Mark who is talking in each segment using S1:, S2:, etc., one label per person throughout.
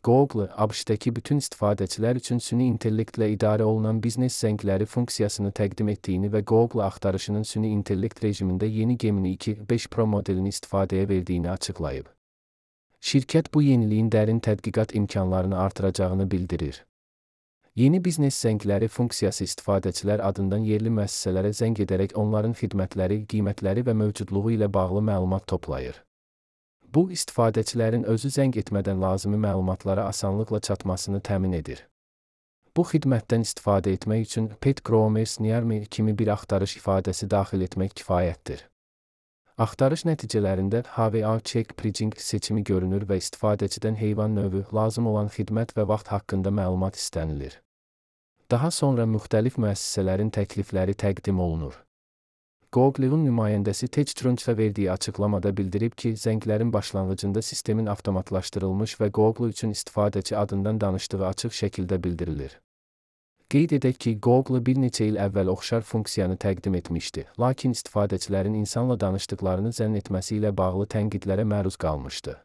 S1: Google, ABŞ-dəki bütün istifadəçilər üçün süni intellektlə idarə olunan biznes zəngləri funksiyasını təqdim etdiyini və Google axtarışının süni intellekt rejimində yeni Gemini 2.5 Pro modelini istifadəyə verdiyini açıqlayıb. Şirkət bu yeniliyin dərin tədqiqat imkanlarını artıracağını bildirir. Yeni biznes zəngləri funksiyası istifadəçilər adından yerli müəssisələrə zəng edərək onların xidmətləri, qiymətləri və mövcudluğu ilə bağlı məlumat toplayır. Bu, istifadəçilərin özü zəng etmədən lazımi məlumatlara asanlıqla çatmasını təmin edir. Bu xidmətdən istifadə etmək üçün Pet Gromers Near Me kimi bir axtarış ifadəsi daxil etmək kifayətdir. Axtarış nəticələrində HVA Check Bridging seçimi görünür və istifadəçidən heyvan növü, lazım olan xidmət və vaxt haqqında məlumat istənilir. Daha sonra müxtəlif müəssisələrin təklifləri təqdim olunur. Google-un nümayəndəsi Tej Trunch'a verdiyi açıqlamada bildirib ki, zənglərin başlanğıcında sistemin avtomatlaşdırılmış və Google üçün istifadəçi adından danışdığı açıq şəkildə bildirilir. Qeyd edək ki, Google bir neçə il əvvəl oxşar funksiyanı təqdim etmişdi, lakin istifadəçilərin insanla danışdıqlarını zənn etməsi ilə bağlı tənqidlərə məruz qalmışdı.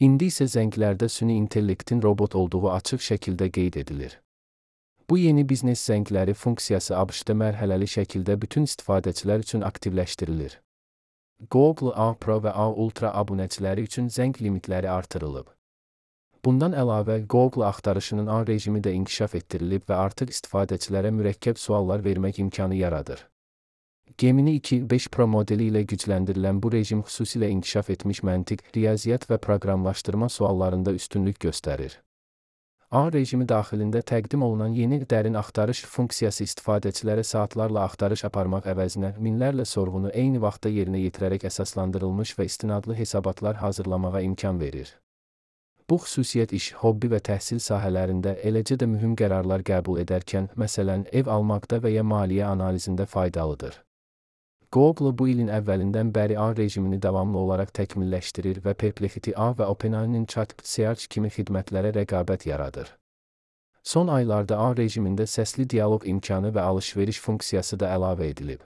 S1: İndi isə zənglərdə süni intellektin robot olduğu açıq şəkildə qeyd edilir. Bu yeni biznes zəngləri funksiyası ABŞ-da mərhələli şəkildə bütün istifadəçilər üçün aktivləşdirilir. Google A Pro və A Ultra abunəçiləri üçün zəng limitləri artırılıb. Bundan əlavə, Google axtarışının A rejimi də inkişaf etdirilib və artıq istifadəçilərə mürəkkəb suallar vermək imkanı yaradır. Gemini 2.5 Pro modeli ilə gücləndirilən bu rejim xüsusilə inkişaf etmiş məntiq, riyaziyyat və proqramlaşdırma suallarında üstünlük göstərir. A rejimi daxilində təqdim olunan yeni dərin axtarış funksiyası istifadəçilərə saatlarla axtarış aparmaq əvəzinə minlərlə sorğunu eyni vaxtda yerinə yetirərək əsaslandırılmış və istinadlı hesabatlar hazırlamağa imkan verir. Bu xüsusiyyət iş, hobbi və təhsil sahələrində, eləcə də mühüm qərarlar qəbul edərkən, məsələn, ev almaqda və ya maliyyə analizində faydalıdır. Google bu ilin əvvəlindən bəri A rejimini davamlı olaraq təkmilləşdirir və Perplexity A və OpenAI'nin Chat Search kimi xidmətlərə rəqabət yaradır. Son aylarda A rejimində səsli dialoq imkanı və alış-veriş funksiyası da əlavə edilib.